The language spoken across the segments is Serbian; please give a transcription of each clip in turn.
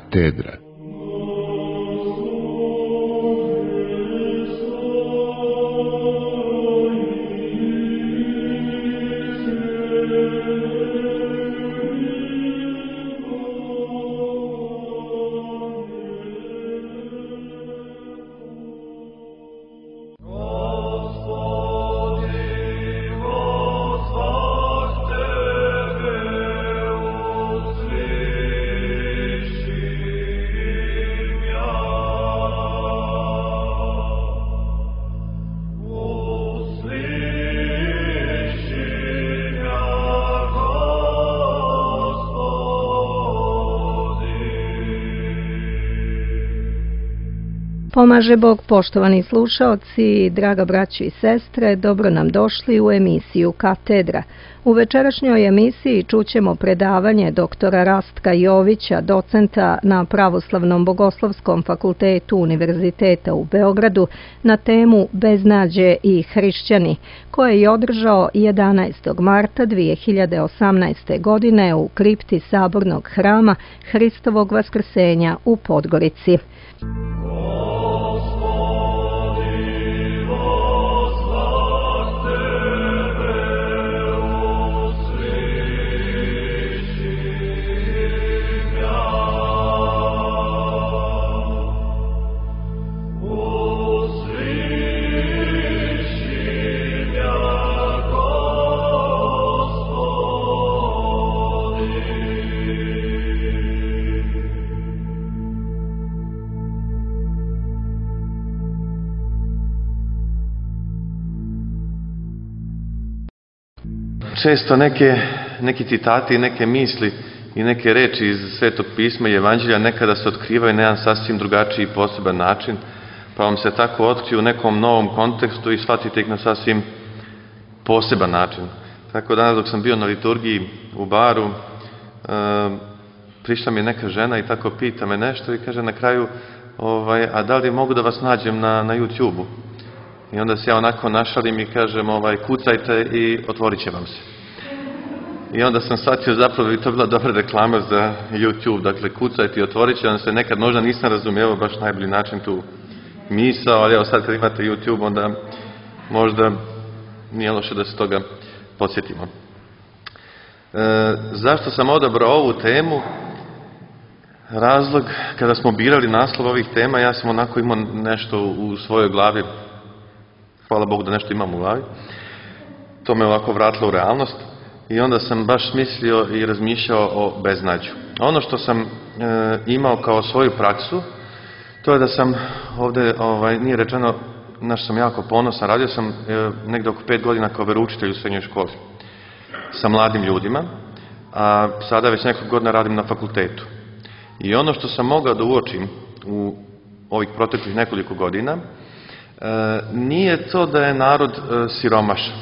Katedra. Pomaže Bog, poštovani slušaoci, draga braćo i sestre, dobro nam došli u emisiju Katedra. U večerašnjoj emisiji čućemo predavanje doktora Rastka Jovića, docenta na Pravoslavnom bogoslovskom fakultetu Univerziteta u Beogradu, na temu Beznađe i hrišćani, koje je održao 11. marta 2018. godine u kripti Sabornog hrama Hristovog vaskrsenja u Podgorici. Često neki citati, neke misli i neke reči iz Svetog pisma i Evanđelja nekada se otkrivaju na jedan sasvim drugačiji i poseban način, pa vam se tako otkriju u nekom novom kontekstu i shvatite ih na sasvim poseban način. Tako danas dok sam bio na liturgiji u baru, prišla mi je neka žena i tako pita me nešto i kaže na kraju, a da li mogu da vas nađem na YouTube-u? I onda se ja onako našalim i kažem, kucajte i otvorit će vam se. I onda sam shvatio zapravo bi to bila dobra reklama za YouTube, dakle kucajte i otvorit će vam se. Nekad možda nisam razumijevao baš najbolji način tu misao, ali evo sad kad imate YouTube onda možda nije loše da se toga podsjetimo. Zašto sam odabrao ovu temu? Razlog, kada smo birali naslov ovih tema, ja sam onako imao nešto u svojoj glavi. Hvala Bogu da nešto imam u glavi. To me ovako vratilo u realnost. I onda sam baš mislio i razmišljao o beznađu. Ono što sam imao kao svoju praksu, to je da sam ovdje, nije rečeno, na što sam jako ponosan, radio sam negdje oko 5 godina kao veroučitelj u srednjoj školi sa mladim ljudima, a sada već nekoliko godina radim na fakultetu. I ono što sam mogao da uočim u ovih proteklih nekoliko godina, nije to da je narod siromašan.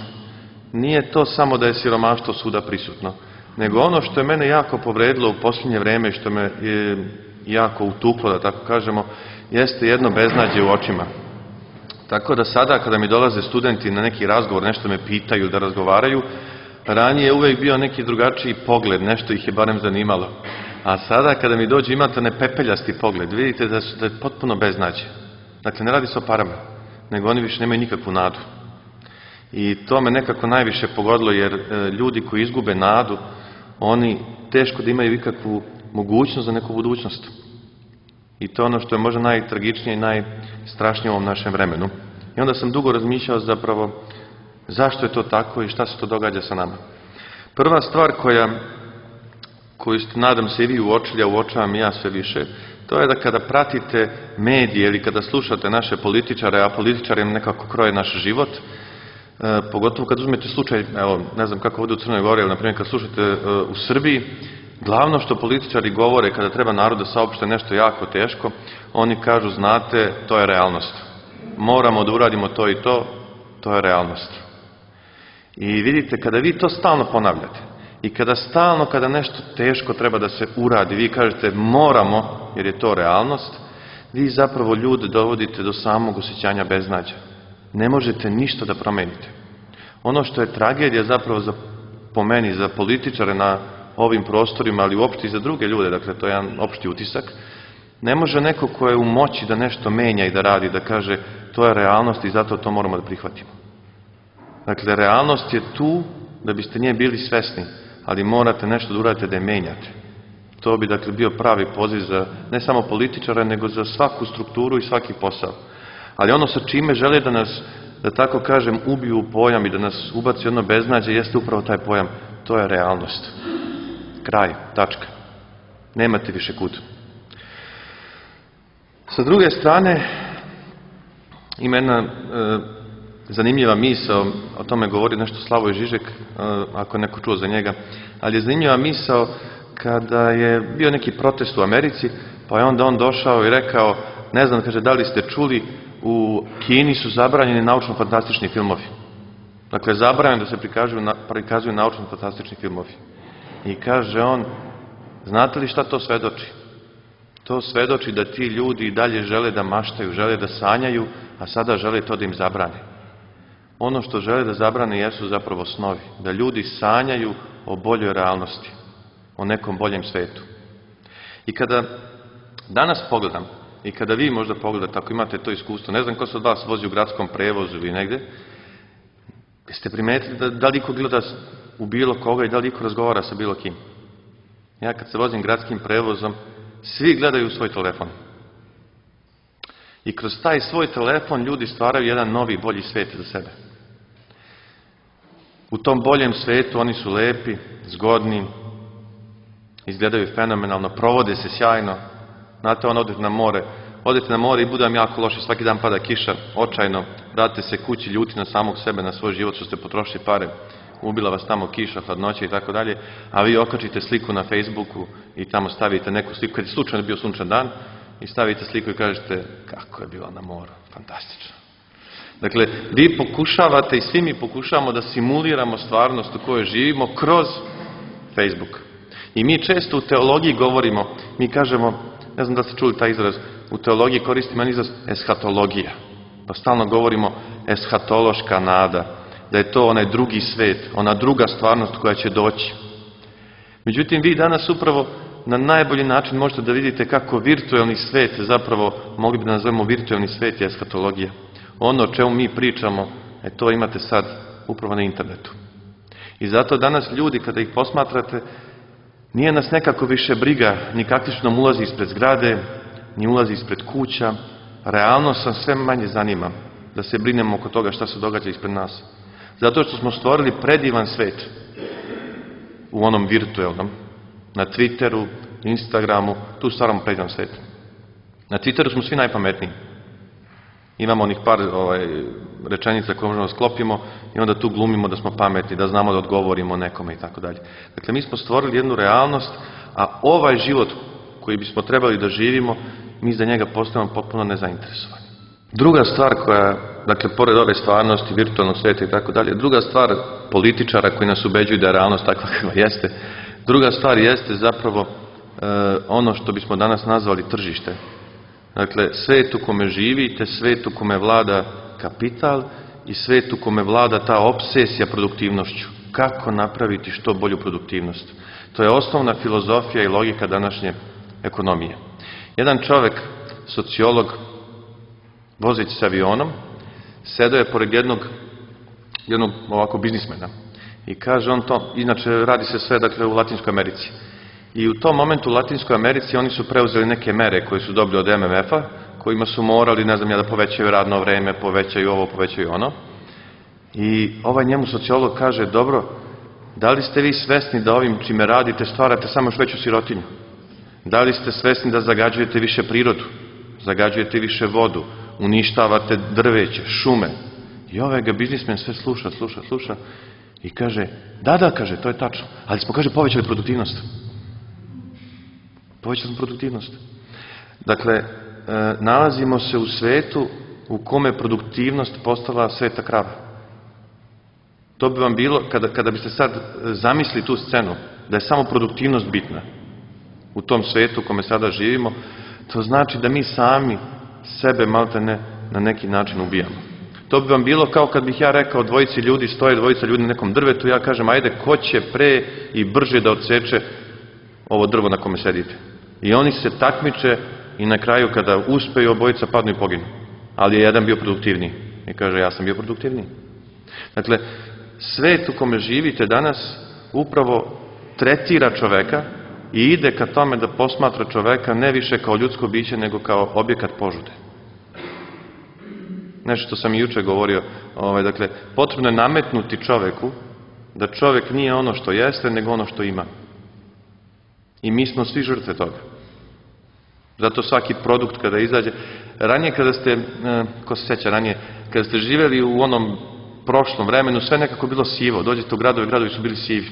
Nije to samo da je siromaštvo svuda prisutno, nego ono što je mene jako povredilo u posljednje vreme i što me je jako utuklo, da tako kažemo, jeste jedno beznađe u očima. Tako da sada kada mi dolaze studenti na neki razgovor, nešto me pitaju da razgovaraju, ranije je uvijek bio neki drugačiji pogled, nešto ih je barem zanimalo. A sada kada mi dođe imate nepepeljasti pogled, vidite da je potpuno beznađe. Dakle, ne radi se o parama, nego oni više nemaju nikakvu nadu. I to me nekako najviše pogodilo, jer ljudi koji izgube nadu, oni teško da imaju ikakvu mogućnost za neku budućnost. I to je ono što je možda najtragičnije i najstrašnije u ovom našem vremenu. I onda sam dugo razmišljao zapravo zašto je to tako i šta se to događa sa nama. Prva stvar koju ste, nadam se, i vi uočili, a uočavam i ja sve više, to je da kada pratite medije ili kada slušate naše političare, a političari nekako kroje naš život, pogotovo kad uzmete slučaj, evo, ne znam kako ovdje u Crnoj Gori, ali na primjer kad slušate u Srbiji, glavno što političari govore kada treba narod da saopšte nešto jako teško, oni kažu, znate, to je realnost. Moramo da uradimo to i to je realnost. I vidite, kada vi to stalno ponavljate i kada nešto teško treba da se uradi, vi kažete moramo, jer je to realnost, vi zapravo ljude dovodite do samog osjećanja beznađa. Ne možete ništa da promenite. Ono što je tragedija zapravo po meni, za političare na ovim prostorima, ali uopšte i za druge ljude, dakle to je jedan opšti utisak, ne može neko ko je u moći da nešto menja i da radi, da kaže to je realnost i zato to moramo da prihvatimo. Dakle, realnost je tu da biste nje bili svesni, ali morate nešto da uradite da je menjate. To bi, dakle, bio pravi poziv za ne samo političara, nego za svaku strukturu i svaki posao. Ali ono sa čime žele da nas, da tako kažem, ubiju u pojam i da nas ubaci jedno beznađe, jeste upravo taj pojam. To je realnost. Kraj, tačka. Nemate više kud. Sa druge strane, ima jedna zanimljiva misao, o tome govori nešto Slavoj Žižek, ako je neko čuo za njega, ali je zanimljiva misao kada je bio neki protest u Americi, pa je onda on došao i rekao, ne znam, kaže, da li ste čuli, u Kini su zabranjeni naučno-fantastični filmovi. Dakle, zabranjeno da se prikazuju naučno-fantastični filmovi. I kaže on, znate li šta to svedoči? To svedoči da ti ljudi i dalje žele da maštaju, žele da sanjaju, a sada žele to da im zabrane. Ono što žele da zabrane jesu zapravo snovi. Da ljudi sanjaju o boljoj realnosti, o nekom boljem svetu. I kada danas pogledam, i kada vi možda pogledate, ako imate to iskustvo, ne znam ko se od vas vozi u gradskom prevozu ili negde, jeste primetili da li iko gleda u bilo koga i da li iko razgovara sa bilo kim? Ja kad se vozim gradskim prevozom, svi gledaju u svoj telefon. I kroz taj svoj telefon ljudi stvaraju jedan novi, bolji svet za sebe. U tom boljem svetu oni su lepi, zgodni, izgledaju fenomenalno, provode se sjajno. Znate, odete na more i bude vam jako loše, svaki dan pada kiša, očajno, vratite se kući ljuti na samog sebe, na svoj život što ste potrošili pare, ubila vas tamo kiša, hladnoća i tako dalje, a vi okačite sliku na Facebooku i tamo stavite neku sliku, kad je slučajno bio sunčan dan, i stavite sliku i kažete kako je bilo na moru, fantastično. Dakle, vi pokušavate i svi mi pokušavamo da simuliramo stvarnost u kojoj živimo kroz Facebook. I mi često u teologiji govorimo, mi kažemo, ne znam da ste čuli taj izraz, u teologiji koristimo jedan izraz eshatologija. Pa stalno govorimo eshatološka nada, da je to onaj drugi svet, ona druga stvarnost koja će doći. Međutim, vi danas upravo na najbolji način možete da vidite kako virtuelni svet, zapravo mogli bi da nazovemo virtuelni svet je eshatologija. Ono o čemu mi pričamo, to imate sad upravo na internetu. I zato danas ljudi, kada ih posmatrate, nije nas nekako više briga ni kakvi su nam ulazi ispred zgrade, ni ulazi ispred kuća. Realnost sam sve manje zanima da se brinemo oko toga šta se događa ispred nas. Zato što smo stvorili predivan svet u onom virtuelnom. Na Twitteru, Instagramu, tu stvaramo predivan svet. Na Twitteru smo svi najpametniji. Imamo onih par rečenica koje možemo sklopimo i onda tu glumimo da smo pametni, da znamo da odgovorimo nekome i tako dalje. Dakle, mi smo stvorili jednu realnost, a ovaj život koji bismo trebali da živimo, mi za njega postajemo potpuno nezainteresovani. Druga stvar koja, dakle, pored ove stvarnosti, virtualnog sveta i tako dalje, druga stvar političara koji nas ubeđuju da je realnost takva kakva jeste, druga stvar jeste zapravo ono što bismo danas nazvali tržište. Dakle, svet u kome živite, svet u kome vlada kapital i svet u kome vlada ta obsesija produktivnošću. Kako napraviti što bolju produktivnost? To je osnovna filozofija i logika današnje ekonomije. Jedan čovek, sociolog, vozeći se avionom, sedao je pored jednog ovako biznismena i kaže on to, inače radi se sve dakle u Latinskoj Americi. I u tom momentu u Latinskoj Americi oni su preuzeli neke mere koje su dobili od MMF-a, kojima su morali, ne znam ja, da povećaju radno vreme, povećaju ovo, povećaju ono. I ovaj njemu sociolog kaže, dobro, da li ste vi svesni da ovim čime radite stvarate samo još veću sirotinju? Da li ste svesni da zagađujete više prirodu, zagađujete više vodu, uništavate drveće, šume? I ovaj ga biznismen sve sluša i kaže, da, kaže, to je tačno, ali smo, kaže, povećali produktivnost. Povećali smo produktivnost. Dakle, nalazimo se u svetu u kome produktivnost postala sveta krava. To bi vam bilo, kada biste sad zamislili tu scenu, da je samo produktivnost bitna u tom svetu u kome sada živimo, to znači da mi sami sebe maltene na neki način ubijamo. To bi vam bilo kao kad bih ja rekao dvojici ljudi, stoje dvojica ljudi na nekom drvetu, ja kažem, ajde, ko će pre i brže da odseče ovo drvo na kome sedite. I oni se takmiče i na kraju kada uspeju, obojica padnu i poginu. Ali je jedan bio produktivniji. I kaže, ja sam bio produktivniji. Dakle, svet u kome živite danas upravo tretira čoveka i ide ka tome da posmatra čoveka ne više kao ljudsko biće, nego kao objekat požude. Nešto što sam i juče govorio, dakle, potrebno je nametnuti čoveku da čovek nije ono što jeste, nego ono što ima. I mi smo svi žrtve toga. Zato svaki produkt kada izađe, ranije kada ste, ko se sjeća ranije, kada ste živjeli u onom prošlom vremenu, sve nekako bilo sivo. Dođete u gradovi, gradovi su bili sivi.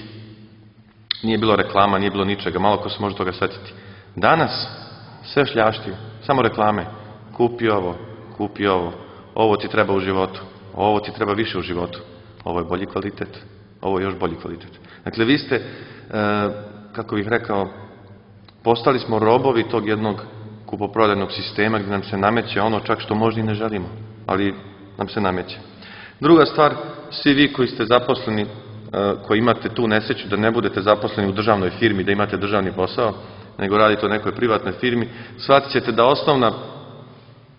Nije bilo reklama, nije bilo ničega, malo ko se može toga setiti. Danas sve šljašti, samo reklame. Kupi ovo, ovo ti treba u životu, ovo ti treba više u životu, ovo je bolji kvalitet, ovo je još bolji kvalitet. Dakle, vi ste, kako bih rekao, postali smo robovi tog jednog kupoprodajnog sistema gdje nam se nameće ono čak što možda i ne želimo, ali nam se nameće. Druga stvar, svi vi koji ste zaposleni, koji imate tu nesreću da ne budete zaposleni u državnoj firmi, da imate državni posao, nego radite u nekoj privatnoj firmi, shvatit ćete da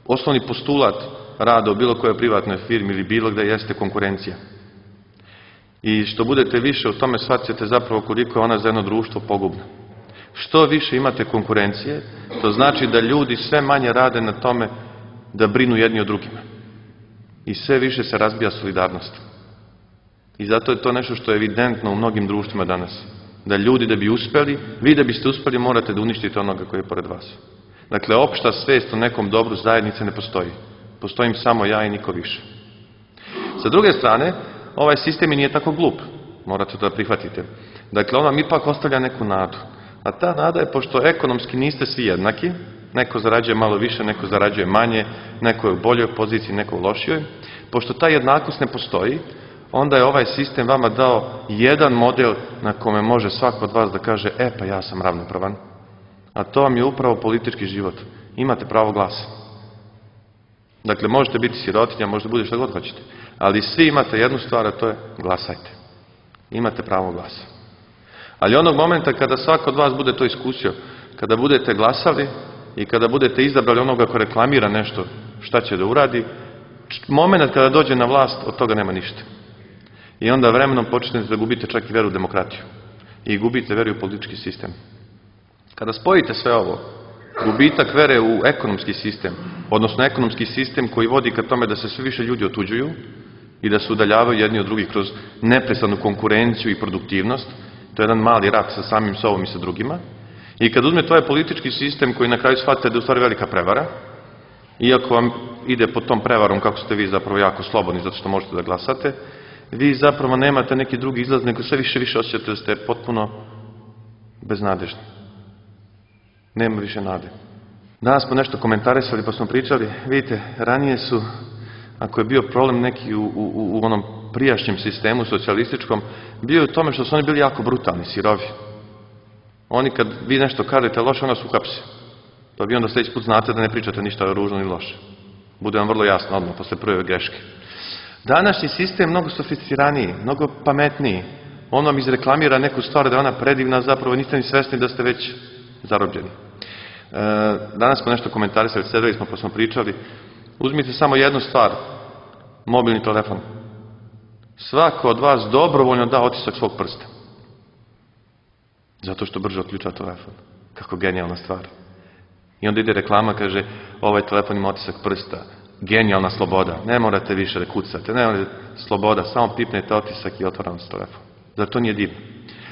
osnovni postulat rada u bilo kojoj privatnoj firmi ili bilo gde jeste konkurencija. I što budete više u tome, shvatit ćete zapravo koliko je ona za jedno društvo pogubna. Što više imate konkurencije, to znači da ljudi sve manje rade na tome da brinu jedni o drugima. I sve više se razbija solidarnost. I zato je to nešto što je evidentno u mnogim društvima danas. Da ljudi da bi uspeli, vi da biste uspeli morate da uništite onoga koji je pored vas. Dakle, opšta svest o nekom dobru zajednice ne postoji. Postojim samo ja i niko više. Sa druge strane, ovaj sistem i nije tako glup. Morate to da prihvatite. Dakle, on vam ipak ostavlja neku nadu. A ta nada je, pošto ekonomski niste svi jednaki, neko zarađuje malo više, neko zarađuje manje, neko je u boljoj poziciji, neko u lošijoj. Pošto ta jednakost ne postoji, onda je ovaj sistem vama dao jedan model na kome može svako od vas da kaže, pa ja sam ravnopravan. A to vam je upravo politički život. Imate pravo glasa. Dakle, možete biti sirotinja, možete bude što god hoćete. Ali svi imate jednu stvar, a to je glasajte. Imate pravo glasa. Ali onog momenta kada svako od vas bude to iskusio, kada budete glasali i kada budete izabrali onoga ko reklamira nešto šta će da uradi, moment kada dođe na vlast, od toga nema ništa. I onda vremenom počnete da gubite čak i veru u demokratiju. I gubite veru u politički sistem. Kada spojite sve ovo, gubitak vere u ekonomski sistem, odnosno ekonomski sistem koji vodi ka tome da se sve više ljudi otuđuju i da se udaljavaju jedni od drugih kroz neprestanu konkurenciju i produktivnost, to je jedan mali rat sa samim sobom i sa drugima. I kad uzmete ovaj politički sistem koji na kraju shvatite da je u stvari velika prevara, iako vam ide pod tom prevarom kako ste vi zapravo jako slobodni zato što možete da glasate, vi zapravo nemate neki drugi izlaz, nego sve više osjećate da ste potpuno beznadežni. Nema više nade. Danas smo nešto komentarisali pa smo pričali, vidite, ranije su, ako je bio problem neki u onom prijašnjem sistemu socijalističkom, bio je u tome što su oni bili jako brutalni, sirovi. Oni kad vi nešto kažete loše, onda su uhapsi. Pa vi onda sljedeći put znate da ne pričate ništa ružno ni loše. Bude vam vrlo jasno odmah posle prve greške. Današnji sistem je mnogo sofisticiraniji, mnogo pametniji. On vam izreklamira neku stvar da je ona predivna, zapravo niste ni svesni da ste već zarobljeni. Danas smo nešto komentarisali, sedeli smo pa smo pričali. Uzmite samo jednu stvar, mobilni telefon. Svako od vas dobrovoljno da otisak svog prsta. Zato što brže otključa telefon. Kako genijalna stvar. I onda ide reklama, kaže, ovaj telefon ima otisak prsta. Genijalna sloboda. Ne morate više da kucate. Ne morate sloboda. Samo pipnete otisak i otvara vam se telefon. Zar to nije divno?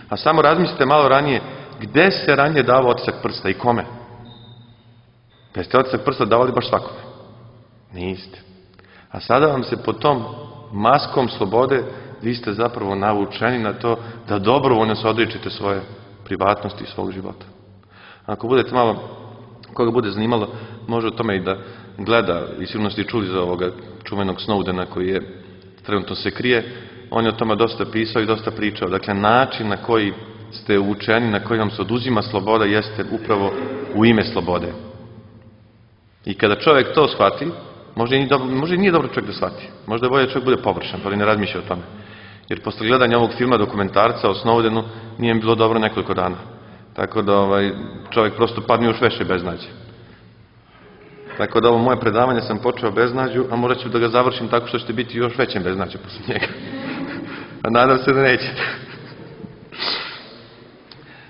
A samo razmislite malo ranije, gde se ranije davao otisak prsta i kome? Da ste otisak prsta davali baš svakome? Niste. A sada vam se pod tom maskom slobode vi ste zapravo navučeni na to da dobrovoljno se odričite svoje privatnosti i svog života. Ako budete malo, koga bude zanimalo, može o tome i da gleda, i sigurno ste čuli za ovoga čuvenog Snowdena koji je trenutno se krije, on je o tome dosta pisao i dosta pričao. Dakle, način na koji ste učeni, na koji vam se oduzima sloboda, jeste upravo u ime slobode. I kada čovjek to shvati, Možda i nije dobro čovjek da shvati. Možda je bolje da čovjek bude površan, ali ne razmišlja o tome. Jer posle gledanja ovog filma dokumentarca o Snowdenu nije mi bilo dobro nekoliko dana. Tako da čovjek prosto padne još veće beznađe. Tako da ovo moje predavanje sam počeo beznađu, a morat ću da ga završim tako što ćete biti još većem beznađe posle njega. A nadam se da nećete.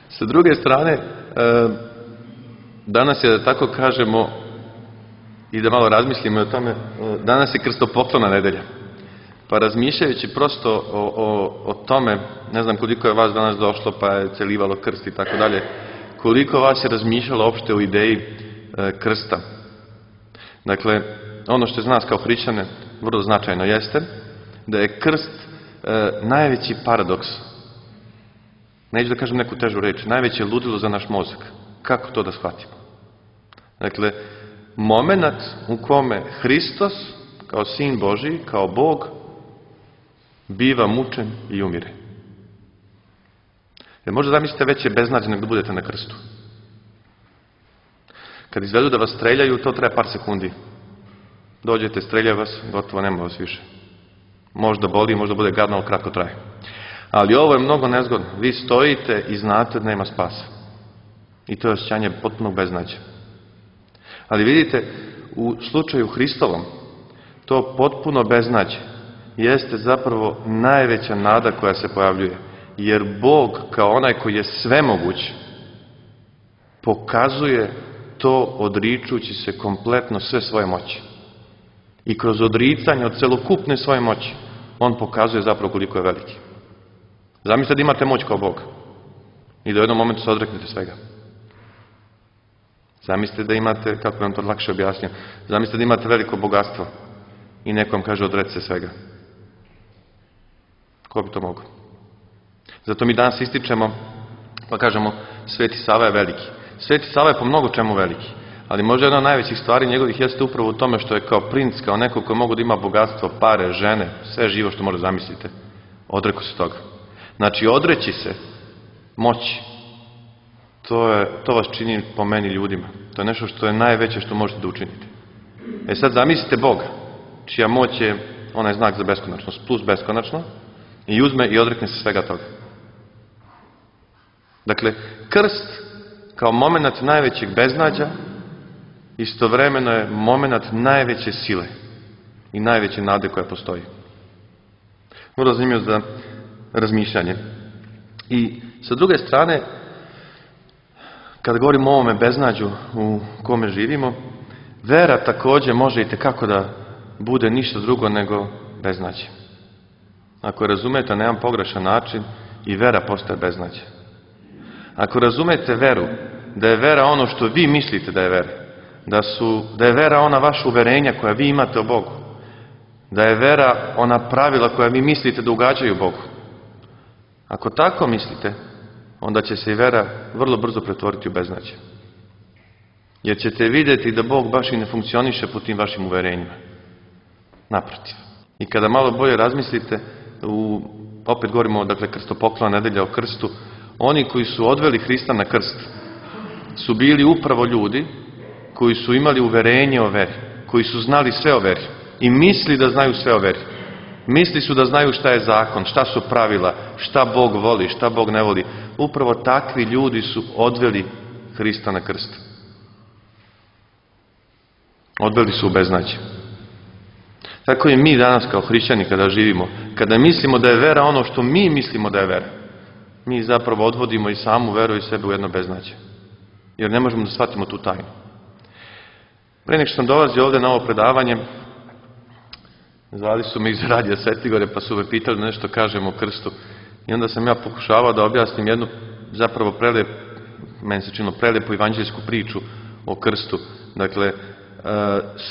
Sa druge strane, danas je, da tako kažemo, i da malo razmislimo o tome, danas je krstopoklona nedelja. Pa razmišljajući prosto o tome, ne znam koliko je vas danas došlo pa je celivalo krst i tako dalje, koliko vas je razmišljalo opšte o ideji krsta. Dakle, ono što je za nas kao hrišćane vrlo značajno jeste da je krst najveći paradoks. Neću da kažem neku težu reč, najveće ludilo za naš mozak. Kako to da shvatimo? Dakle, moment u kome Hristos, kao Sin Božiji, kao Bog, biva mučen i umire. Jer možda zamislite veće beznađe nego da budete na krstu. Kad izvedu da vas streljaju, to treba par sekundi. Dođete, streljaju vas, gotovo, nema vas više. Možda boli, možda bude gadno, ali kratko traje. Ali ovo je mnogo nezgodno. Vi stojite i znate da nema spasa. I to je osjećanje potpunog beznađa. Ali vidite, u slučaju Hristovom, to potpuno beznađe jeste zapravo najveća nada koja se pojavljuje. Jer Bog, kao onaj koji je svemoguć, pokazuje to odričući se kompletno sve svoje moći. I kroz odricanje od celokupne svoje moći, on pokazuje zapravo koliko je veliki. Zamislite da imate moć kao Bog i da u jednom momentu se odreknete svega. Zamislite da imate, kako vam to lakše objasnio, zamislite da imate veliko bogatstvo i neko vam kaže odreci se svega. Ko bi to mogao? Zato mi danas ističemo, pa kažemo, Sveti Sava je veliki. Sveti Sava je po mnogo čemu veliki, ali možda jedna od najvećih stvari njegovih jeste upravo u tome što je kao princ, kao neko koji mogu da ima bogatstvo, pare, žene, sve živo što možda zamislite. Odreko se toga. Znači, odreći se moći, to vas čini po meni ljudima. To je nešto što je najveće što možete da učinite. Sad zamislite Boga, čija moć je onaj znak za beskonačnost, plus beskonačno, i uzme i odrekne se svega toga. Dakle, krst kao moment najvećeg beznađa istovremeno je moment najveće sile i najveće nade koja postoji. Vrlo zanimljivo za razmišljanje. I sa druge strane, kada govorimo o ovome beznađu u kome živimo, vera također može i tekako da bude ništa drugo nego beznađe. Ako razumete na jedan pogrešan način, i vera postaje beznađe. Ako razumete veru, da je vera ono što vi mislite da je vera, da je vera ona vaša uverenja koja vi imate o Bogu, da je vera ona pravila koja vi mislite da ugađaju Bogu. Ako tako mislite, onda će se i vera vrlo brzo pretvoriti u beznađe. Jer ćete vidjeti da Bog baš i ne funkcioniše po tim vašim uverenjima. Naprotiv. I kada malo bolje razmislite, opet govorimo, dakle, krstopoklona nedelja o krstu, oni koji su odveli Hrista na krst su bili upravo ljudi koji su imali uverenje o veri, koji su znali sve o veri i misli da znaju sve o veri. Misli su da znaju šta je zakon, šta su pravila, šta Bog voli, šta Bog ne voli. Upravo takvi ljudi su odveli Hrista na krst. Odveli su u beznađe. Tako i mi danas kao hrišćani kada živimo, kada mislimo da je vera ono što mi mislimo da je vera, mi zapravo odvodimo i samu veru i sebe u jedno beznađe. Jer ne možemo da shvatimo tu tajnu. Pre nek što sam dolazio ovde na ovo predavanje, zvali su me iz Radija Svetigore pa su me pitali da nešto kažem o krstu. I onda sam ja pokušavao da objasnim jednu zapravo meni se činilo prelepu evanđeljsku priču o krstu. Dakle,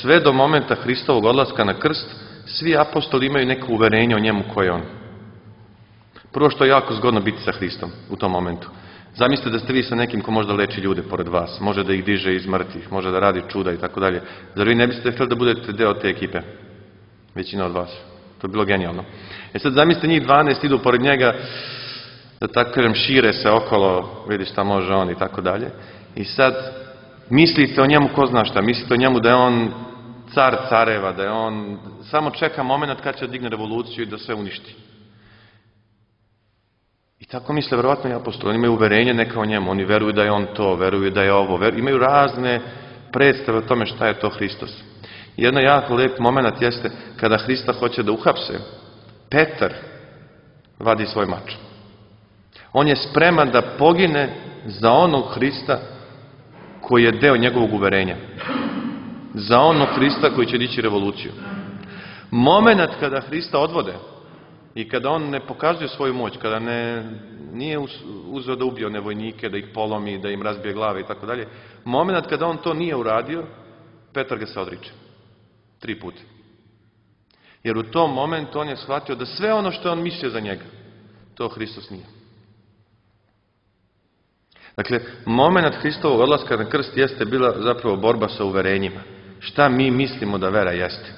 sve do momenta Hristovog odlaska na krst, svi apostoli imaju neko uverenje o njemu ko je on. Prvo što je jako zgodno biti sa Hristom u tom momentu. Zamislite da ste vi sa nekim ko možda leči ljude pored vas, može da ih diže iz mrtvih, može da radi čuda i tako dalje. Zar vi ne biste htjeli da budete deo te ekipe? Većina od vas. To je bilo genijalno. Sad zamislite njih 12 idu pored njega, da tako kažem, šire se okolo, vidi šta može on i tako dalje. I sad mislite o njemu ko zna šta, mislite o njemu da je on car careva, da je on samo čeka moment kad će digne revoluciju i da sve uništi. I tako misle verovatno i apostoli. Oni imaju uverenje neka o njemu, oni veruju da je on to, veruju da je ovo, imaju razne predstave o tome šta je to Hristos. Jedan jako lijep moment jeste kada Hrista hoće da uhapse, Petar vadi svoj mač. On je spreman da pogine za onog Hrista koji je deo njegovog uverenja. Za onog Hrista koji će dići revoluciju. Moment kada Hrista odvode i kada on ne pokazuje svoju moć, kada nije uzeo da ubije one vojnike, da ih polomi, da im razbije glave i tako dalje, moment kada on to nije uradio, Petar ga se odriče. 3 puta. Jer u tom momentu on je shvatio da sve ono što je on mislio za njega, to Hristos nije. Dakle, moment Hristovog odlaska na krst jeste bila zapravo borba sa uverenjima. Šta mi mislimo da vera jeste?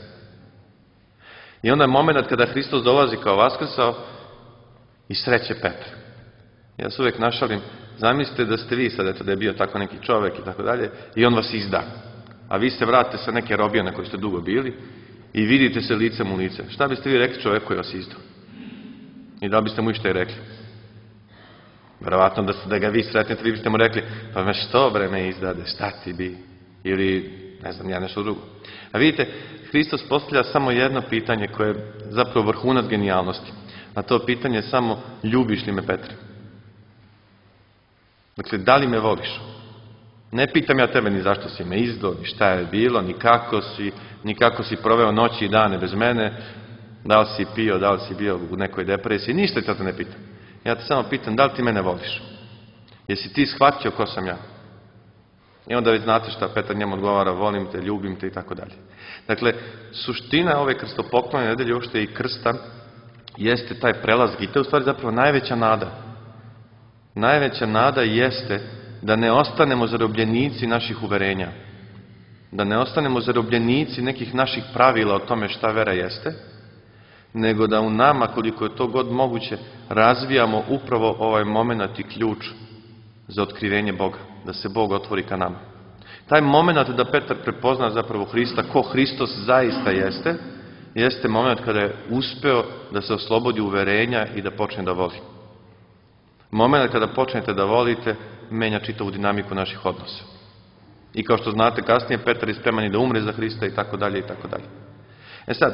I onda je moment kada Hristos dolazi kao vaskrsao i sreće Petra. Ja se uvijek našalim, zamislite da ste vi sad, eto, da je bio tako neki čovjek i tako dalje, i on vas izda. A vi se vratite sa neke robije na kojoj ste dugo bili i vidite se licem u lice. Šta biste vi rekli čovjeku koji vas izdao? I da biste mu išta i rekli? Verovatno da ga vi sretnete, vi biste mu rekli, pa me što bre me izdade, šta ti bi? Ili, ne znam, ja nešto drugo. A vidite, Hristos postavlja samo jedno pitanje koje je zapravo vrhunac genijalnosti. A to pitanje je samo, ljubiš li me, Petre? Dakle, da li me voliš? Ne pitam ja tebe ni zašto si me izdao, ni šta je bilo, ni kako si proveo noći i dane bez mene, da li si pio, da li si bio u nekoj depresiji, ništa te to ne pitam. Ja te samo pitam, da li ti mene voliš? Jesi ti shvatio ko sam ja? I onda već znate šta Petar njemu odgovara, volim te, ljubim te i tako dalje. Dakle, suština ove krstopoklonne nedelje, uopšte i krsta, jeste taj prelaz i to je u stvari zapravo najveća nada. Najveća nada jeste da ne ostanemo zarobljenici naših uverenja. Da ne ostanemo zarobljenici nekih naših pravila o tome šta vera jeste, nego da u nama, koliko je to god moguće, razvijamo upravo ovaj moment i ključ za otkrivenje Boga. Da se Bog otvori ka nama. Taj moment da Petar prepozna zapravo Hrista, ko Hristos zaista jeste moment kada je uspeo da se oslobodi uverenja i da počne da voli. Moment kada počnete da volite, menja čitavu dinamiku naših odnosa. I kao što znate, kasnije Petar je spreman i da umre za Hrista i tako dalje i tako dalje. E sad,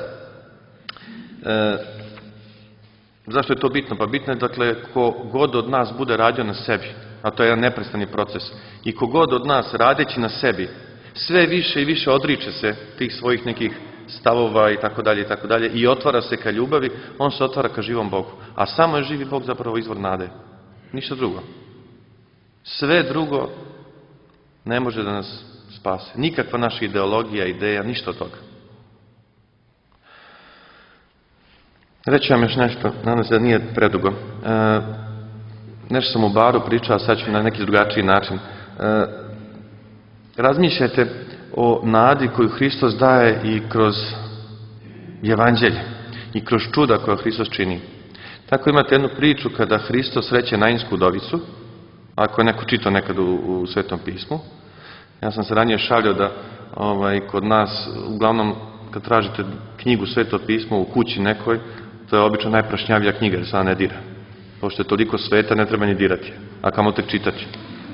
zašto je to bitno? Pa bitno je, dakle, ko god od nas bude radio na sebi, a to je jedan neprestani proces, i ko god od nas radeći na sebi, sve više i više odriče se tih svojih nekih stavova i tako dalje i otvara se ka ljubavi, on se otvara ka živom Bogu. A samo je živi Bog zapravo izvor nade. Ništa drugo. Sve drugo ne može da nas spase. Nikakva naša ideologija, ideja, ništa od toga. Reći vam još nešto, nadam se da nije predugo. Nešto sam u baru pričao, a sad ću na neki drugačiji način. Razmišljajte o nadi koju Hristos daje i kroz evanđelje i kroz čuda koja Hristos čini. Tako imate jednu priču kada Hristos sreće Nainsku udovicu, ako je neko čitao nekad u Svetom pismu. Ja sam se ranije šalio da kod nas, uglavnom kad tražite knjigu Sveto pismo u kući nekoj, to je obično najprašnjavija knjiga, jer se ona ne dira. Pošto je toliko sveta, ne treba ni dirati, a kamo tek čitati.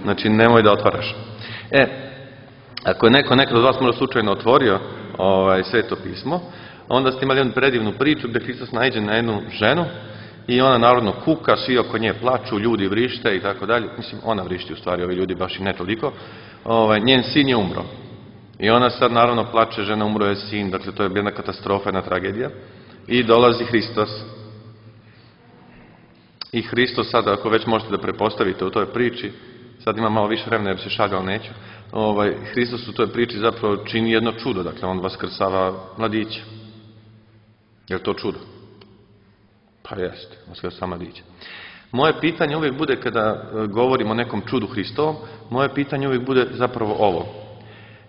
Znači, nemoj da otvaraš. Ako je neko nekad od vas možda slučajno otvorio Sveto pismo, onda ste imali jednu predivnu priču gde Hristos naiđe na jednu ženu i ona narodno kuka, svi oko nje plaču, ljudi vrište i tako dalje. Mislim, ona vrišti u stvari, ovi ljudi baš i ne toliko. Njen sin je umro. I ona sad naravno plače, žena, umro je sin, dakle to je jedna katastrofa, jedna tragedija. I dolazi Hristos. I Hristos sada, ako već možete da prepostavite u toj priči, sad ima malo više vremena jer se šalja, ali neću, Hristos u toj priči zapravo čini jedno čudo, dakle on vaskrsava mladića. Je li to čudo? Pa jeste, vaskrsava mladića. Moje pitanje uvijek bude, kada govorimo o nekom čudu Hristovom, moje pitanje uvijek bude zapravo ovo.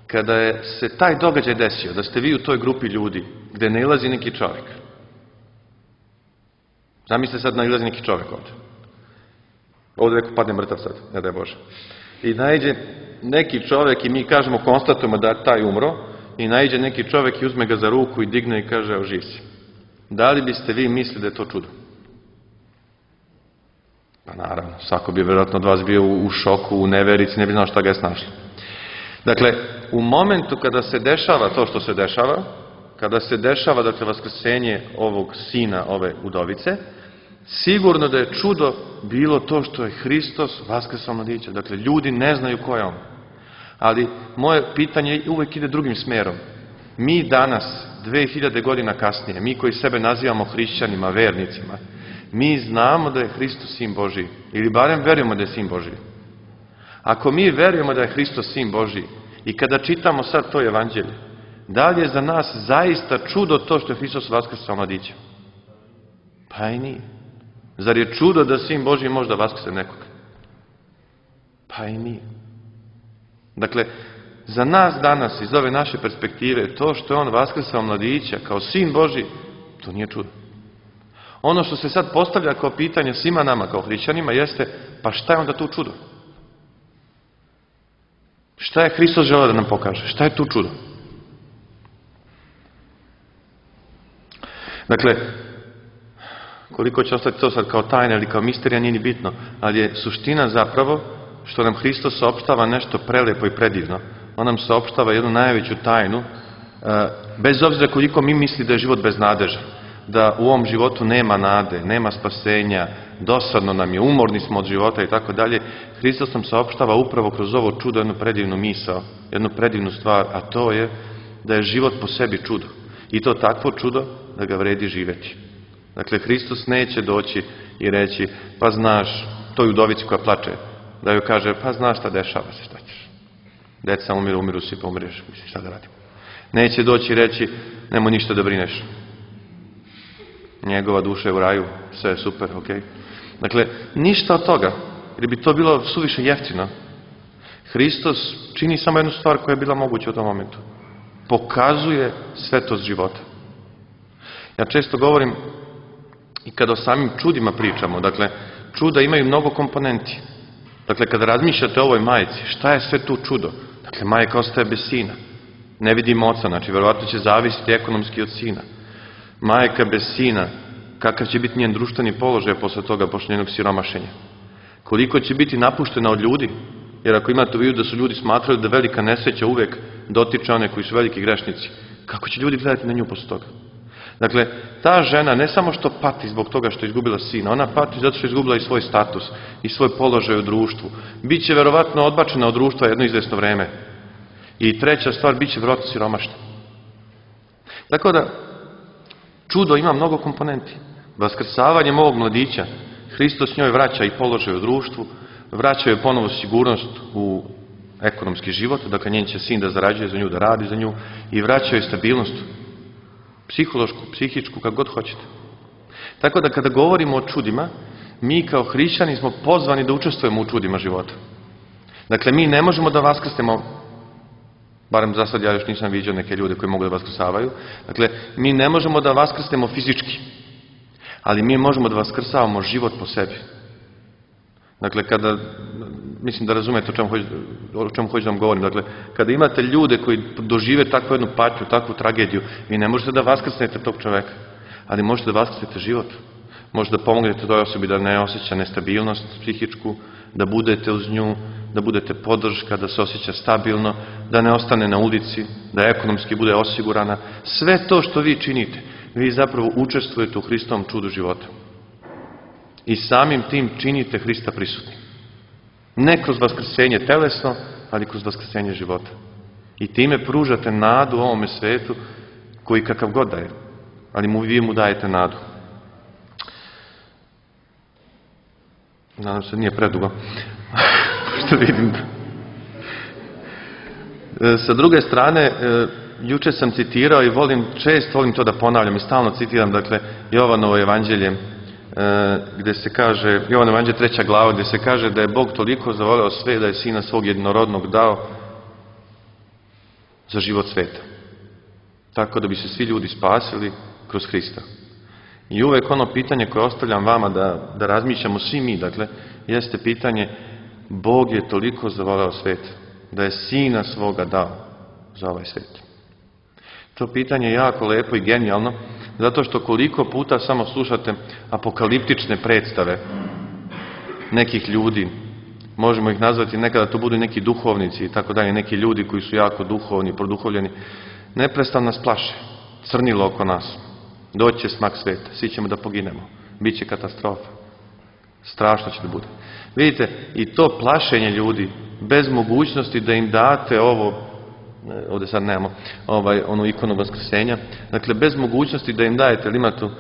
Kada je se taj događaj desio, da ste vi u toj grupi ljudi, gde ne ilazi neki čovjek. Zamislite sad nailazi neki čovjek ovdje. Ovdje neko padne mrtav sad, ne daj Bože. I naiđe neki čovjek i mi kažemo, konstatujemo da je taj umro, i naiđe neki čovjek i uzme ga za ruku i digne i kaže, evo živ si. Da li biste vi mislili da je to čudo? Pa naravno, svako bi vjerojatno od vas bio u šoku, u neverici, ne bi znao šta ga je snašlo. Dakle, u momentu kada se dešava to što se dešava, kada se dešava, dakle, vaskrsenje ovog sina, ove udovice, sigurno da je čudo bilo to što je Hristos vaskrsao mladića. Dakle, ljudi ne znaju ko je on. Ali moje pitanje uvijek ide drugim smerom. Mi danas, 2000 godina kasnije, mi koji sebe nazivamo hrišćanima, vernicima, mi znamo da je Hristos sin Božiji. Ili barem verujemo da je sin Božiji. Ako mi verujemo da je Hristos sin Božiji i kada čitamo sad to evanđelje, da li je za nas zaista čudo to što je Hristos vaskrsao mladića? Pa i nije. Zar je čudo da sin Božiji može da vaskrse nekoga? Pa i nije. Dakle, za nas danas, iz ove naše perspektive, to što je on vaskrsao mladića kao sin Božji, to nije čudo. Ono što se sad postavlja kao pitanje svima nama, kao hrišćanima, jeste, pa šta je onda tu čudo? Šta je Hristos želeo da nam pokaže? Šta je tu čudo? Dakle, koliko će ostati to sad kao tajna ili kao misterija, nije ni bitno, ali je suština zapravo što nam Hristos saopštava nešto prelepo i predivno. On nam saopštava jednu najveću tajnu, bez obzira koliko mi misli da je život beznadežan, da u ovom životu nema nade, nema spasenja, dosadno nam je, umorni smo od života i tako dalje. Hristos nam saopštava upravo kroz ovo čudo jednu predivnu misao, jednu predivnu stvar, a to je da je život po sebi čudo. I to takvo čudo da ga vredi živjeti. Dakle, Hristos neće doći i reći, pa znaš, toj udovici koja plače, da joj kaže, pa znaš šta dešava se, šta ćeš. Deca umiru si, pa umreš, mislim, šta da radim. Neće doći i reći, nemoj ništa da brineš. Njegova duša je u raju, sve je super, ok. Dakle, ništa od toga, jer bi to bilo suviše jeftino. Hristos čini samo jednu stvar koja je bila moguća u tom momentu. Pokazuje svetost života. Ja često govorim, i kada o samim čudima pričamo, dakle, čuda imaju mnogo komponenti. Dakle, kada razmišljate o ovoj majici, šta je sve tu čudo? Dakle, majka ostaje bez sina. Ne vidimo oca, znači, verovatno će zavisiti ekonomski od sina. Majka bez sina, kakav će biti njen društveni položaj posle toga, posle njenog siromašenja? Koliko će biti napuštena od ljudi? Jer ako imate u vidu da su ljudi smatrali da velika nesreća uvek dotiče one koji su veliki grešnici, kako će ljudi gledati na nju posle toga? Dakle, ta žena ne samo što pati zbog toga što je izgubila sina, ona pati zato što je izgubila i svoj status, i svoj položaj u društvu. Biće verovatno odbačena od društva jedno izvesno vreme. I treća stvar, biće verovatno siromašna. Tako da, čudo ima mnogo komponenti. Vaskrsavanjem ovog mladića, Hristos njoj vraća i položaj u društvu, vraća joj ponovo sigurnost u ekonomski život, dakle njen će sin da zarađuje za nju, da radi za nju, i vraća joj stabilnost psihološku, psihičku, kako god hoćete. Tako da kada govorimo o čudima, mi kao hrišćani smo pozvani da učestvujemo u čudima života. Dakle, mi ne možemo da vaskrsnemo, barem za sad ja još nisam viđao neke ljude koji mogu da vaskrsavaju, dakle, mi ne možemo da vaskrsnemo fizički, ali mi možemo da vaskrsavamo život po sebi. Dakle, kada, mislim da razumete o čemu hoću da vam govorim, dakle, kada imate ljude koji dožive takvu jednu patnju, takvu tragediju, vi ne možete da vaskrsnete tog čoveka, ali možete da vaskrsnete život. Možete da pomognete toj osobi da ne osjeća nestabilnost psihičku, da budete uz nju, da budete podrška, da se osjeća stabilno, da ne ostane na ulici, da ekonomski bude osigurana. Sve to što vi činite, vi zapravo učestvujete u Hristovom čudu života. I samim tim činite Hrista prisutnim. Ne kroz vaskrsenje telesno, ali kroz vaskrsenje života. I time pružate nadu ovome svetu koji kakav god daje. Ali vi mu dajete nadu. Nadam se nije predugo. Što vidim. Sa druge strane, juče sam citirao i često volim to da ponavljam i stalno citiram, dakle, Jovanovo evanđelje, gde se kaže, Jovan evanđelje 3. glava, gde se kaže da je Bog toliko zavoleo sve da je Sina svog jednorodnog dao za život sveta. Tako da bi se svi ljudi spasili kroz Hrista. I uvek ono pitanje koje ostavljam vama da razmišljamo svi mi, dakle, jeste pitanje, Bog je toliko zavoleo svet da je Sina svoga dao za ovaj svet. To pitanje je jako lepo i genijalno, zato što koliko puta samo slušate apokaliptične predstave nekih ljudi, možemo ih nazvati nekada to budu neki duhovnici i tako dalje, neki ljudi koji su jako duhovni, produhovljeni, neprestano nas plaše, crnilo oko nas, doći će smak sveta, svi ćemo da poginemo, bit će katastrofa, strašno će da bude. Vidite, i to plašenje ljudi, bez mogućnosti da im date ovo, ovdje sad nemamo, onu ikonu vaskrsenja, dakle, bez mogućnosti da im dajete, ili ima tu,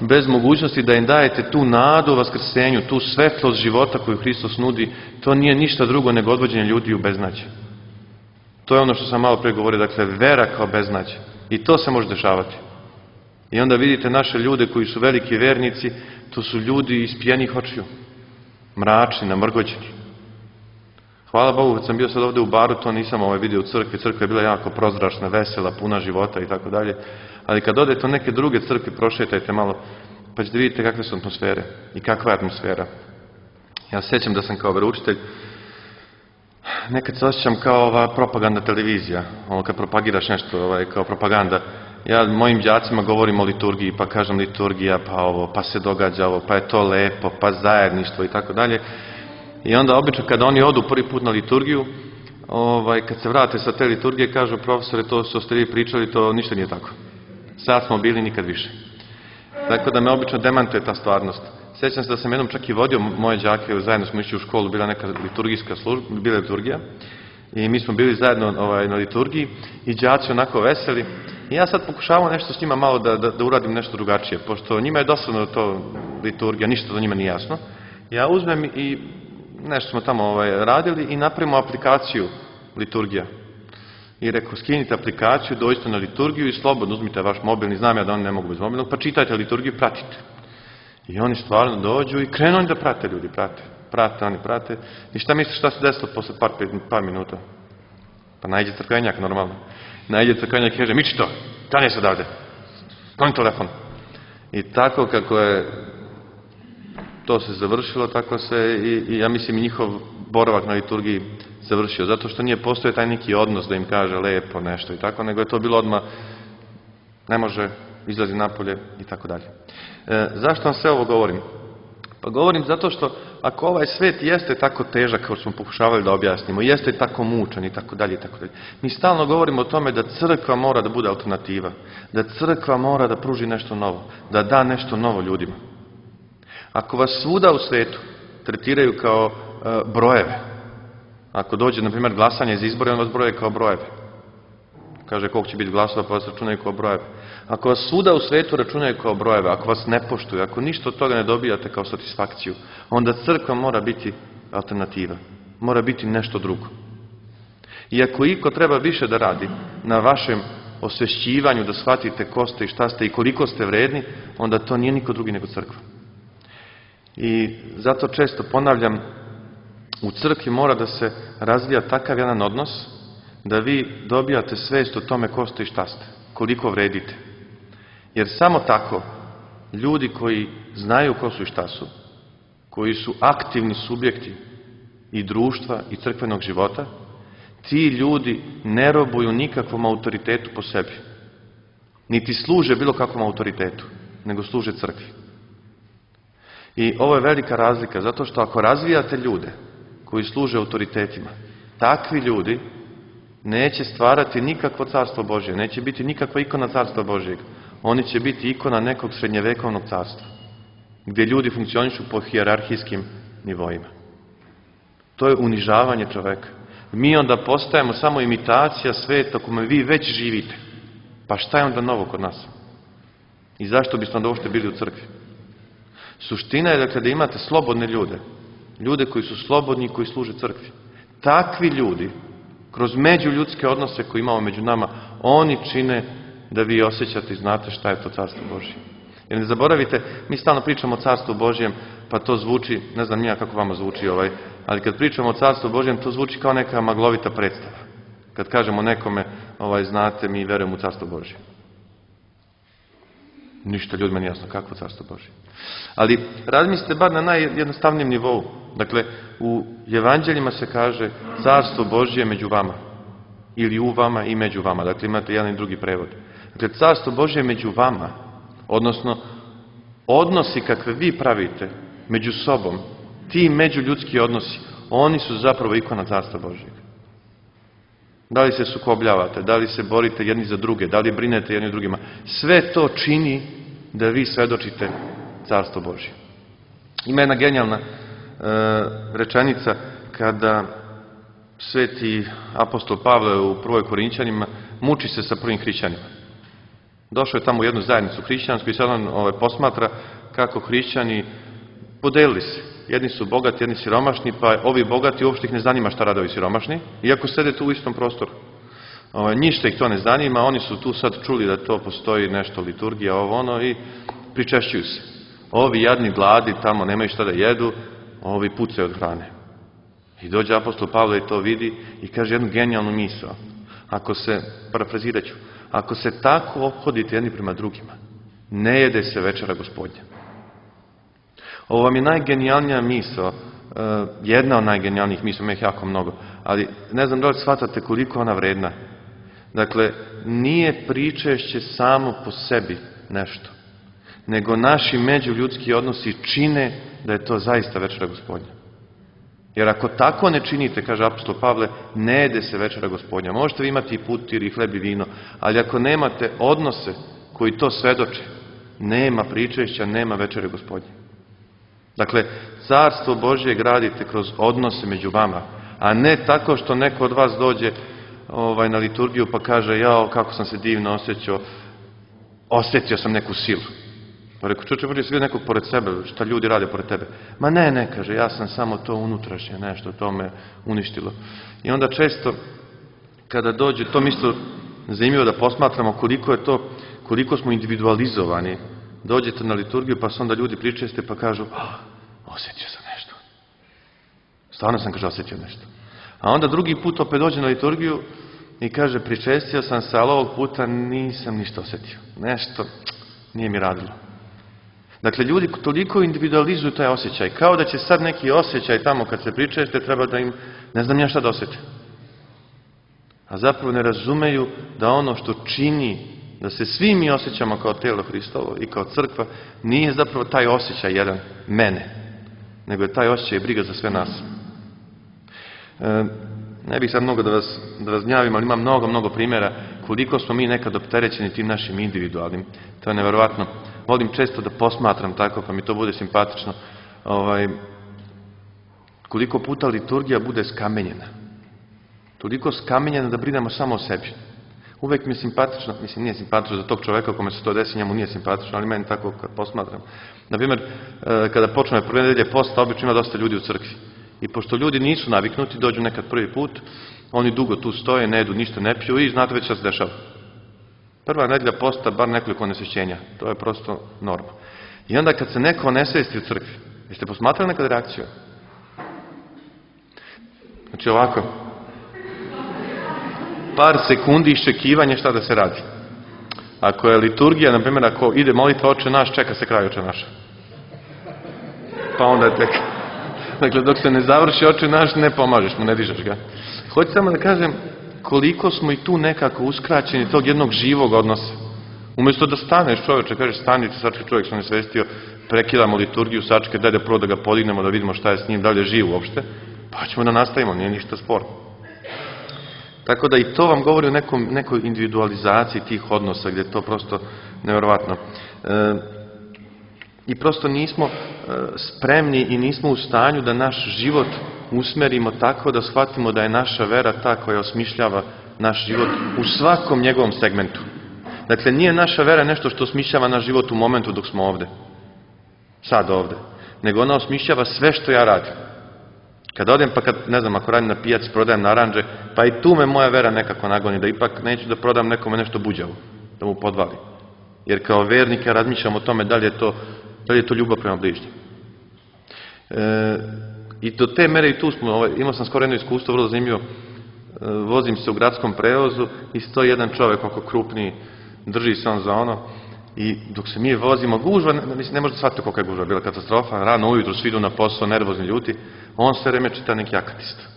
bez mogućnosti da im dajete tu nadu u vaskrsenju, tu svetlost života koju Hristos nudi, to nije ništa drugo nego odvođenje ljudi u beznađe. To je ono što sam malo pre govorio, dakle, vera kao beznađe. I to se može dešavati. I onda vidite naše ljude koji su veliki vernici, to su ljudi ispijenih očiju, mračni, namrgođeni. Hvala Bogu, kad sam bio sad ovdje u baru, to nisam vidio u crkvi. Crkva je bila jako prozračna, vesela, puna života i tako dalje. Ali kad odete u neke druge crkve, prošetajte malo, pa ćete vidjeti kakve su atmosfere i kakva je atmosfera. Ja se sjećam da sam kao veroučitelj, nekad se osjećam kao ova propaganda televizija, kad propagiraš nešto kao propaganda. Ja mojim đacima govorim o liturgiji, pa kažem liturgija, pa ovo, pa se događa ovo, pa je to lepo, pa zajedništvo i tako dalje. I onda obično kada oni odu prvi put na liturgiju, kad se vrate sa te liturgije, kažu profesore, to što ste vi pričali, to ništa nije tako. Sad smo bili, nikad više. Tako da me obično demantuje ta stvarnost. Sjećam se da sam jednom čak i vodio moje đake, zajedno smo išli u školu, bila neka liturgijska služba, bila liturgija. I mi smo bili zajedno na liturgiji i đaci onako veseli. I ja sad pokušavam nešto s njima malo da uradim nešto drugačije, pošto njima je dosadno to liturgija, ništa za njima nije jasno. Ja uzmem i nešto smo tamo radili i napravimo aplikaciju liturgija. I rekao, skinite aplikaciju, dođite na liturgiju i slobodno uzmite vaš mobilni, znam ja da oni ne mogu bez mobilnog, pa čitajte liturgiju, pratite. I oni stvarno dođu i krenu oni da prate ljudi, oni prate. I šta misliš šta se desilo posle par minuta? Pa najde crkvenjak normalno. Najde crkvenjak i kaže, miči to, stani se odavde, skloni telefon. I tako kako je to se završilo, tako se i ja mislim njihov boravak na liturgiji završio. Zato što nije postoje taj neki odnos da im kaže lepo nešto i tako, nego je to bilo odmah, ne može, izlazi napolje i tako dalje. Zašto vam sve ovo govorim? Pa govorim zato što ako ovaj svet jeste tako težak kao što smo pokušavali da objasnimo, jeste tako mučan i tako dalje, mi stalno govorimo o tome da crkva mora da bude alternativa, da crkva mora da pruži nešto novo, da da nešto novo ljudima. Ako vas svuda u svetu tretiraju kao brojeve, ako dođe, na primjer, glasanje za izbore, on vas broje kao brojeve. Kaže koliko će biti glasova, pa vas računaju kao brojeve. Ako vas svuda u svetu računaju kao brojeve, ako vas ne poštuju, ako ništa od toga ne dobijate kao satisfakciju, onda crkva mora biti alternativa. Mora biti nešto drugo. I ako iko treba više da radi na vašem osvešćivanju, da shvatite ko ste i šta ste i koliko ste vredni, onda to nije niko drugi nego crkva. I zato često ponavljam, u crkvi mora da se razvija takav jedan odnos da vi dobijate svest o tome ko ste i šta ste, koliko vredite. Jer samo tako ljudi koji znaju ko su i šta su, koji su aktivni subjekti i društva i crkvenog života, ti ljudi ne robuju nikakvom autoritetu po sebi. Niti služe bilo kakvom autoritetu, nego služe crkvi. I ovo je velika razlika, zato što ako razvijate ljude koji služe autoritetima, takvi ljudi neće stvarati nikakvo carstvo Božje, neće biti nikakva ikona carstva Božjeg. Oni će biti ikona nekog srednjevekovnog carstva, gdje ljudi funkcionišu po hijerarhijskim nivoima. To je unižavanje čoveka. Mi onda postajemo samo imitacija sveta kome vi već živite. Pa šta je onda novo kod nas? I zašto biste onda uopšte bili u crkvi? Suština je dakle da imate slobodne ljude. Ljude koji su slobodni i koji služe crkvi. Takvi ljudi, kroz međuljudske odnose koje imamo među nama, oni čine da vi osjećate i znate šta je to carstvo Božje. Jer ne zaboravite, mi stalno pričamo o carstvu Božjem, pa to zvuči, ne znam nija kako vama zvuči ali kad pričamo o carstvu Božjem, to zvuči kao neka maglovita predstava. Kad kažemo nekome, znate, mi verujemo u carstvo Božje. Ništa ljudima nije jasno, kakvo carstvo Božje. Ali razmislite bar na najjednostavnijem nivou. Dakle, u evanđeljima se kaže carstvo Božje je među vama. ili u vama i među vama. Dakle, imate jedan i drugi prevod. Dakle, carstvo Božje je među vama, odnosno odnosi kakve vi pravite među sobom, ti međuljudski odnosi, oni su zapravo ikona carstva Božjeg. Da li se sukobljavate, da li se borite jedni za druge, da li brinete jedni drugima, sve to čini da vi svedočite carstvo Božje. Ima jedna genijalna rečenica kada sveti apostol Pavle u 1. Korinćanima muči se sa prvim hrišćanima. Došao je tamo u jednu zajednicu hrišćansku i sad on posmatra kako hrišćani podelili se. Jedni su bogati, jedni siromašni, pa ovi bogati uopšte ih ne zanima šta rade ovi siromašni, iako sede tu u istom prostoru. Ništa ih to ne zanima, oni su tu sad čuli da to postoji nešto, liturgija, ovo ono, i pričešćuju se. Ovi jadni gladi tamo nemaju šta da jedu, ovi pucaju od hrane. I dođe apostol Pavle i to vidi i kaže jednu genijalnu misao. Parafrazirat ću, ako se tako ophodite jedni prema drugima, ne jede se večera Gospodnja. Ovo vam je najgenijalnija misao, jedna od najgenijalnijih misao, ima ih jako mnogo, ali ne znam da li shvatate koliko ona vredna. Dakle, nije pričešće samo po sebi nešto, nego naši međuljudski odnosi čine da je to zaista večera Gospodnja. Jer ako tako ne činite, kaže apostol Pavle, ne jede se večera Gospodnja. Možete vi imati i putir i hleb i vino, ali ako nemate odnose koji to svedoče, nema pričešća, nema večere Gospodnje. Dakle, carstvo Božje gradite kroz odnose među vama, a ne tako što neko od vas dođe na liturgiju pa kaže, jao, kako sam se divno osjetio sam neku silu. Pa rekao, čuče, možda si vidio nekog pored sebe, šta ljudi rade pored tebe. Ma ne, kaže, ja sam samo to unutrašnje, nešto, to me uništilo. I onda često, kada dođe, to mi isto zanimljivo da posmatramo koliko smo individualizovani. Dođete na liturgiju, pa se onda ljudi pričeste, pa kažu, osjetio sam nešto. Stvarno sam, kaže, osjetio nešto. A onda drugi put opet dođe na liturgiju i kaže, pričestio sam se, ali ovog puta nisam ništa osjetio. Nešto nije mi radilo. Dakle, ljudi toliko individualizuju taj osjećaj, kao da će sad neki osjećaj tamo kad se pričeste, treba da im, ne znam ja šta da osjete. A zapravo ne razumeju da ono što čini da se svi mi osjećamo kao tijelo Hristovo i kao crkva, nije zapravo taj osjećaj jedan mene, nego je taj osjećaj briga za sve nas. Ne bih sad mnogo da vas gnjavim, ali ima mnogo primjera koliko smo mi nekad opterećeni tim našim individualnim. To je neverovatno. Volim često da posmatram tako, pa mi to bude simpatično. Koliko puta liturgija bude skamenjena. Toliko skamenjena da brinemo samo o sebi. Uvek mi je simpatično, mislim nije simpatično za tog čoveka kome se to desi, njemu nije simpatično, ali meni tako kad posmatram. Naprimjer, kada počne prve nedelje posta, obično ima dosta ljudi u crkvi. I pošto ljudi nisu naviknuti, dođu nekad prvi put, oni dugo tu stoje, ne jedu, ništa ne piju i znate već šta se dešava. Prva nedelja posta, bar nekoliko nesvećenja. To je prosto norma. I onda kad se neko onesvesti u crkvi, jeste posmatrali nekad reakciju? Znači ovako, par sekundi iščekivanja šta da se radi. Ako je liturgija, na primjer, ako ide molitva Oče naš, čeka se kraj Oče naša. Pa onda tek. Dakle, dok se ne završi Oče naš, ne pomažeš mu, ne dižeš ga. Hoću samo da kažem koliko smo i tu nekako uskraćeni tog jednog živog odnosa. Umjesto da staneš čoveče, kažeš stanite, sačka čovjek se onesvestio, prekidamo liturgiju, sačka, daj da prvo da ga podignemo, da vidimo šta je s njim, da li je živ uopšte, pa ćemo da nastavimo, nije ništa sporno. Tako da i to vam govori o nekoj individualizaciji tih odnosa, gdje je to prosto neverovatno. I prosto nismo spremni i nismo u stanju da naš život usmerimo tako da shvatimo da je naša vera ta koja osmišljava naš život u svakom njegovom segmentu. Dakle, nije naša vera nešto što osmišljava naš život u momentu dok smo ovde, sad ovde, nego ona osmišljava sve što ja radim. Kad odem, pa kad, ne znam, ako radim na pijaci, prodajem naranđe, pa i tu me moja vera nekako nagoni, da ipak neću da prodam nekome nešto buđavo, da mu podvali. Jer kao vernik ja razmišljam o tome da li je to ljubav prema bližnjem. I do te mere i tu smo, imao sam skoro jedno iskustvo, vrlo zanimljivo, vozim se u gradskom prevozu i stoji jedan čovek oko krupniji, drži se on za ono i dok se mi vozimo, gužva, mislim, ne možete shvatiti kolika je gužva, bila katastrofa, rano ujutru svi idu na posao, nervozni ljuti, on sve vreme čita neki akatist.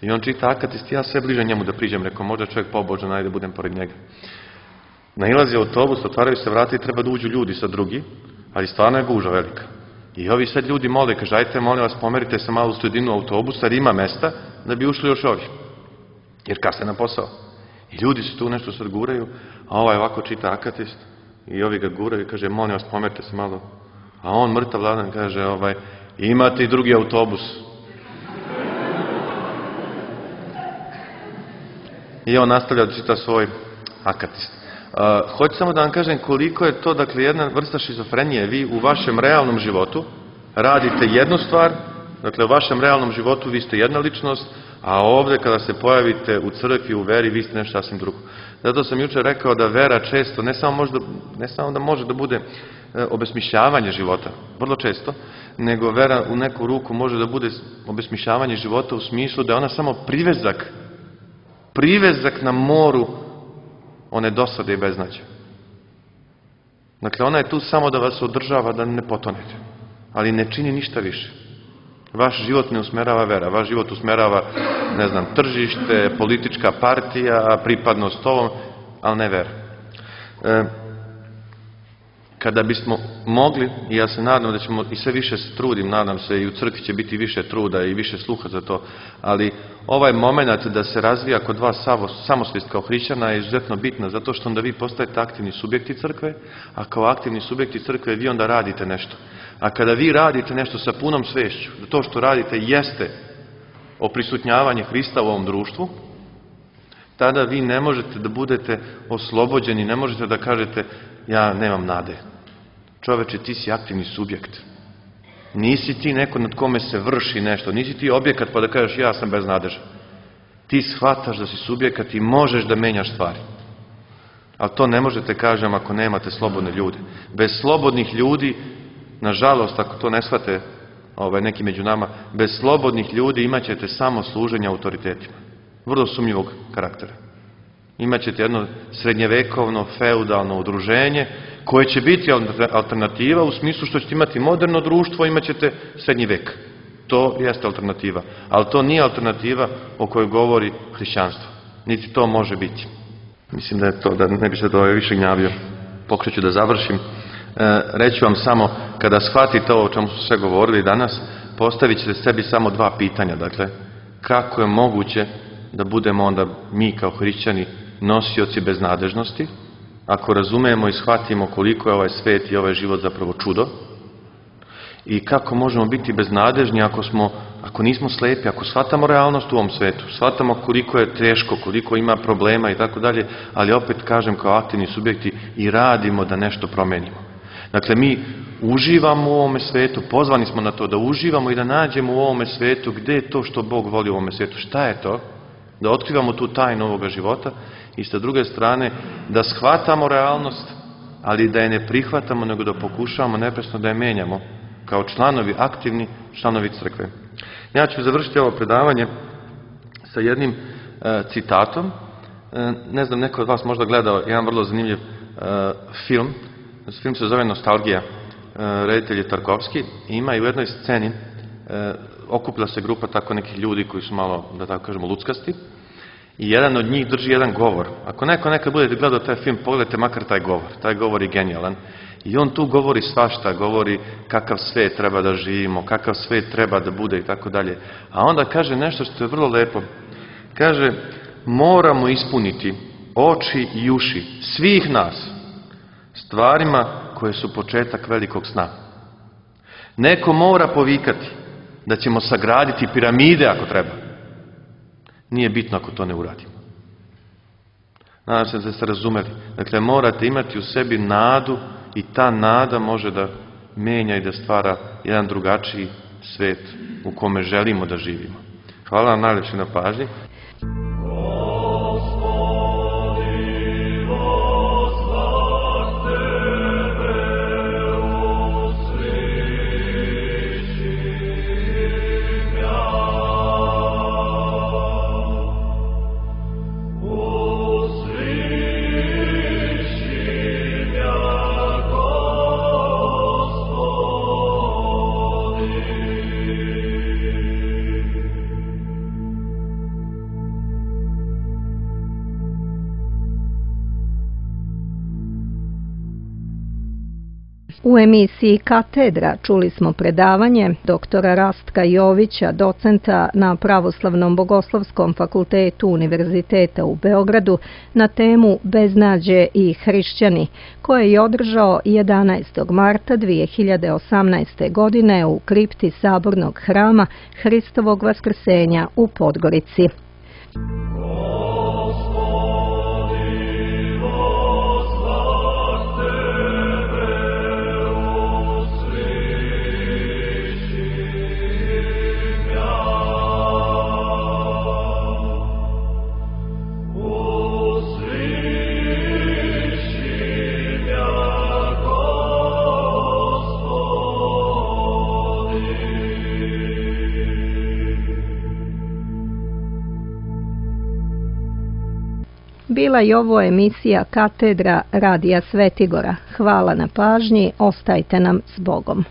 I on čita Akatist, ja sve bliže njemu da priđem, rekao, možda čovjek pobožan, ajde budem pored njega. Nailazi autobus, otvaraju se vrata i treba da uđu ljudi sa drugi, ali stvarno je gužva velika. I ovi sad ljudi mole, kaže, ajte, molim vas, pomerite se malo u sredinu autobusa, jer ima mesta da bi ušli još ovi. Jer kasne na posao. I ljudi se tu nešto sad guraju, a ovaj ovako čita Akatist i ovi ga guraju i kaže, molim vas, pomerite se malo. A on mrtav ladan kaže, imate i drugi autobus. I on nastavlja da čita svoj Akatist. Hoću samo da vam kažem koliko je to, dakle, jedna vrsta šizofrenije. Vi u vašem realnom životu radite jednu stvar, dakle, u vašem realnom životu vi ste jedna ličnost, a ovdje kada se pojavite u crkvi, u veri, vi ste nešto sasvim drugo. Zato sam jučer rekao da vera često, ne samo da može da bude obesmišljavanje života, vrlo često, nego vera u neku ruku može da bude obesmišljavanje života u smislu da je ona samo privezak na moru one dosade i beznađe. Dakle, ona je tu samo da vas održava da ne potonete, ali ne čini ništa više. Vaš život ne usmerava vera, vaš život usmerava, ne znam, tržište, politička partija, pripadnost ovom, ali ne vera. Kada bismo mogli, i ja se nadam da ćemo, i sve više se trudim, nadam se i u crkvi će biti više truda i više sluha za to, ali ovaj moment da se razvija kod vas samosvijest kao hrišćana je izuzetno bitna, zato što onda vi postajete aktivni subjekti crkve, a kao aktivni subjekti crkve vi onda radite nešto. A kada vi radite nešto sa punom svešću, da to što radite jeste oprisutnjavanje Hrista u ovom društvu, tada vi ne možete da budete oslobođeni, ne možete da kažete ja nemam nade. Čoveče, ti si aktivni subjekt. Nisi ti neko nad kome se vrši nešto, nisi ti objekat pa da kažeš ja sam beznadežan. Ti shvataš da si subjekat i možeš da menjaš stvari. Ali to ne možete, kažem, ako nemate slobodne ljude. Bez slobodnih ljudi, nažalost, ako to ne shvate neki među nama, bez slobodnih ljudi imat ćete samo služenje autoritetima. Vrlo sumnjivog karaktera. Imaćete jedno srednjevekovno, feudalno udruženje koje će biti alternativa u smislu što ćete imati moderno društvo, imat ćete srednji vek. To jeste alternativa. Ali to nije alternativa o kojoj govori hrišćanstvo. Niti to može biti. Mislim da je to, da ne bi se to više gnjavio. Pokušat ću da završim. Reću vam samo, kada shvatite ovo o čemu smo sve govorili danas, postavit ćete sebi samo dva pitanja. Dakle, kako je moguće da budemo onda mi kao hrišćani nosioci beznadežnosti, ako razumijemo i shvatimo koliko je ovaj svet i ovaj život zapravo čudo, i kako možemo biti beznadežni ako nismo slepi, ako shvatamo realnost u ovom svetu, shvatamo koliko je teško, koliko ima problema i tako dalje, ali opet kažem kao aktivni subjekti i radimo da nešto promenimo. Dakle, mi uživamo u ovome svetu, pozvani smo na to da uživamo i da nađemo u ovome svetu gdje je to što Bog voli u ovome svetu, šta je to, da otkrivamo tu tajnu ovoga života i sa druge strane da shvatamo realnost, ali da je ne prihvatamo, nego da pokušavamo neprestano da je menjamo kao članovi, aktivni članovi crkve. Ja ću završiti ovo predavanje sa jednim citatom. Ne znam, neko od vas možda gledao jedan vrlo zanimljiv film. Film se zove Nostalgija. Reditelj je Tarkovski. I ima i u jednoj sceni okuplja se grupa tako nekih ljudi koji su malo, da tako kažemo, luckasti. I jedan od njih drži jedan govor. Ako neko nekad budete gledao taj film, pogledajte makar taj govor. Taj govor je genijalan. I on tu govori svašta, govori kakav svet treba da živimo, kakav svet treba da bude i tako dalje. A onda kaže nešto što je vrlo lepo. Kaže, moramo ispuniti oči i uši svih nas stvarima koje su početak velikog sna. Neko mora povikati da ćemo sagraditi piramide ako treba. Nije bitno ako to ne uradimo. Nadam se da ste razumeli. Dakle, morate imati u sebi nadu i ta nada može da menja i da stvara jedan drugačiji svet u kome želimo da živimo. Hvala vam najlepše na pažnji. U emisiji Katedra čuli smo predavanje doktora Rastka Jovića, docenta na Pravoslavnom bogoslovskom fakultetu Univerziteta u Beogradu, na temu Beznađe i hrišćani, koje je održao 11. marta 2018. godine u kripti Sabornog hrama Hristovog vaskrsenja u Podgorici. Bila je ovo emisija Katedra Radija Svetigora. Hvala na pažnji, ostajte nam s Bogom.